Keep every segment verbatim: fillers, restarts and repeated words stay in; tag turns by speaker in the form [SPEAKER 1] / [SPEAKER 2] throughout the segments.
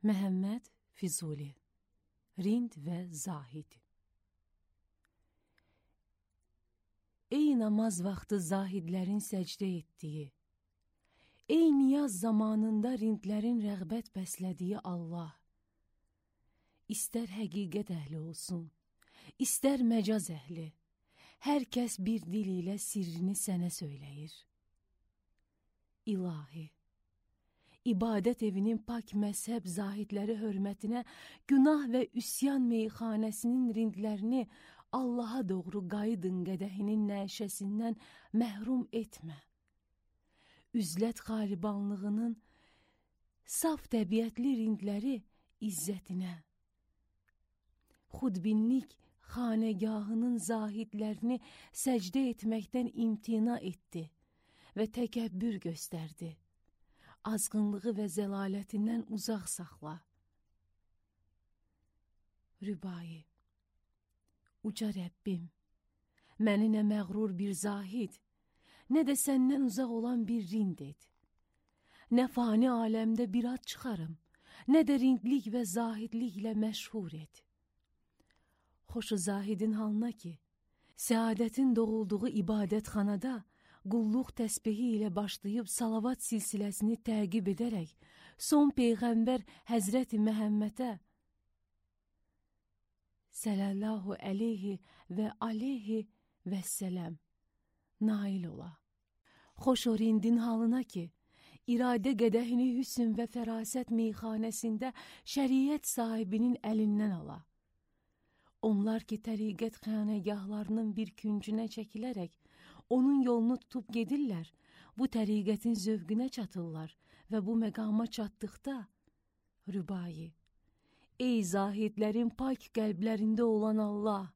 [SPEAKER 1] Məhəmməd Füzuli, Rind və Zahid. Ey namaz vaxtı zahidlərin səcdə etdiyi, ey niyaz zamanında rindlərin rəğbət bəslədiyi Allah, istər həqiqət əhli olsun, istər məcaz əhli, hər kəs bir dil ilə sirrini sənə söyləyir. İlahi, İbadət evinin pak məzhəb zahidləri hörmətinə günah və üsyan meyxanəsinin rindlərini Allaha doğru qayıdın qədəhinin nəşəsindən məhrum etmə. Üzlət xaribanlığının saf təbiətli rindləri izzətinə, xudbinlik xanəgahının zahidlərini səcdə etməkdən imtina etdi və təkəbbür göstərdi. Azğınlığı və zəlalətindən uzaq saxla. Rübai, uca Rəbbim, məni nə məğrur bir zahid, nə də səndən uzaq olan bir rind et. Nə fani aləmdə bir ad çıxarım, nə də rindlik və zahidliklə məşhur et. Xoşu zahidin halına ki, səadətin doğulduğu ibadətxanada qulluq təsbihi ilə başlayıb salavat silsiləsini təqib edərək, son Peyğəmbər Həzrəti Məhəmmədə səllallahu əleyhi və aleyhi və sələm nail ola. Xoş o rindin halına ki, iradə qədəhini hüsn və fərasət meyxanəsində şəriət sahibinin əlindən ala. Onlar ki, təriqət xanəgahlarının bir küncünə çəkilərək, onun yolunu tutub gedirlər, bu təriqətin zövqünə çatırlar və bu məqama çatdıqda, Rübai, ey zahidlərin pak qəlblərində olan Allah,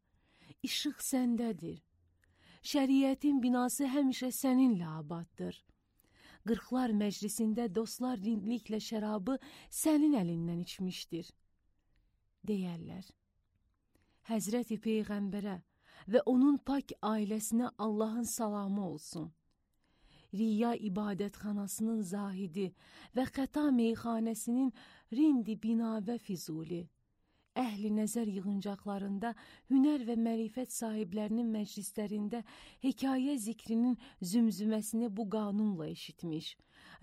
[SPEAKER 1] işıq səndədir. Şəriətin binası həmişə səninlə abaddır. Qırxlar məclisində dostlar rindliklə şərabı sənin əlindən içmişdir, deyərlər. Həzrəti Peyğəmbərə və onun pak ailəsinə Allahın salamı olsun. Riya ibadətxanasının zahidi və xəta meyxanəsinin rindi bina və Füzuli, əhli nəzər yığıncaqlarında, hünər və mərifət sahiblərinin məclislərində hekayə zikrinin zümzüməsini bu qanunla eşitmiş,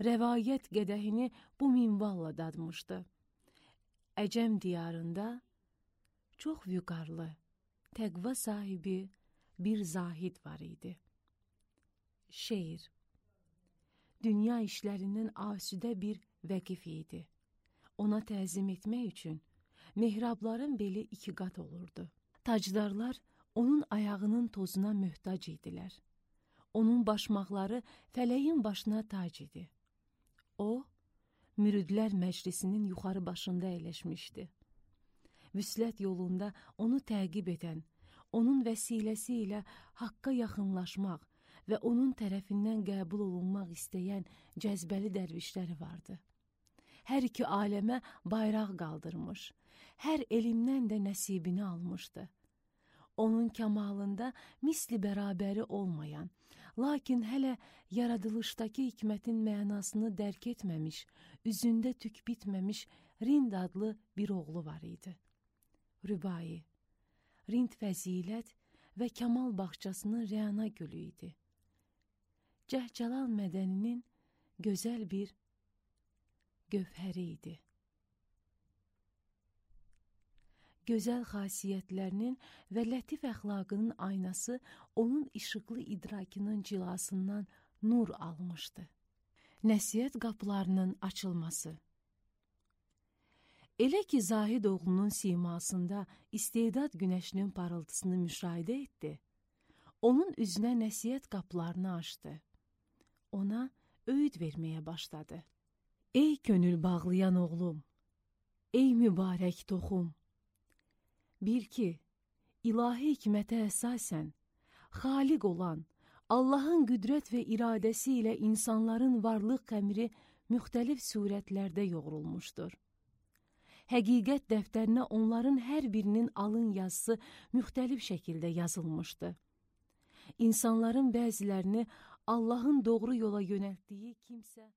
[SPEAKER 1] rəvayət qədəhini bu minvalla dadmışdı. Əcəm diyarında çox vüqarlı, təqva sahibi bir zahid var idi. Şeir, dünya işlərindən asudə bir vəqif idi. Ona təzim etmək üçün mehrabların beli iki qat olurdu. Tacdarlar onun ayağının tozuna möhtac idilər. Onun başmaqları fələyin başına tac idi. O, müridlər məclisinin yuxarı başında əyləşmişdi. Vüslət yolunda onu təqib edən, onun vəsiləsi ilə haqqa yaxınlaşmaq və onun tərəfindən qəbul olunmaq istəyən cəzbəli dərvişləri vardı. Hər iki aləmə bayraq qaldırmış, hər elmdən də nəsibini almışdı. Onun kəmalında misli bərabəri olmayan, lakin hələ yaradılışdakı hikmətin mənasını dərk etməmiş, üzündə tük bitməmiş Rind adlı bir oğlu var idi. Rübai, Rind fəzilət və Kamal bağçasının rəna gülü idi. Cəhcəlal mədəninin gözəl bir gövhəri idi. Gözəl xasiyyətlərinin və lətif əxlaqının aynası onun işıqlı idrakının cilasından nur almışdı. Nəsihət qapılarının açılması. Elə ki, Zahid oğlunun simasında istedad günəşinin parıltısını müşahidə etdi, onun üzünə nəsihət qapılarını açdı. Ona öyüd verməyə başladı. Ey könül bağlayan oğlum, ey mübarək toxum, bil ki, ilahi hikmətə əsasən, xaliq olan, Allahın qüdrət və iradəsi ilə insanların varlıq qəmri müxtəlif surətlərdə yoğrulmuşdur. Həqiqət dəftərinə onların hər birinin alın yazısı müxtəlif şəkildə yazılmışdı. İnsanların bəzilərini Allahın doğru yola yönəltdiyi kimsə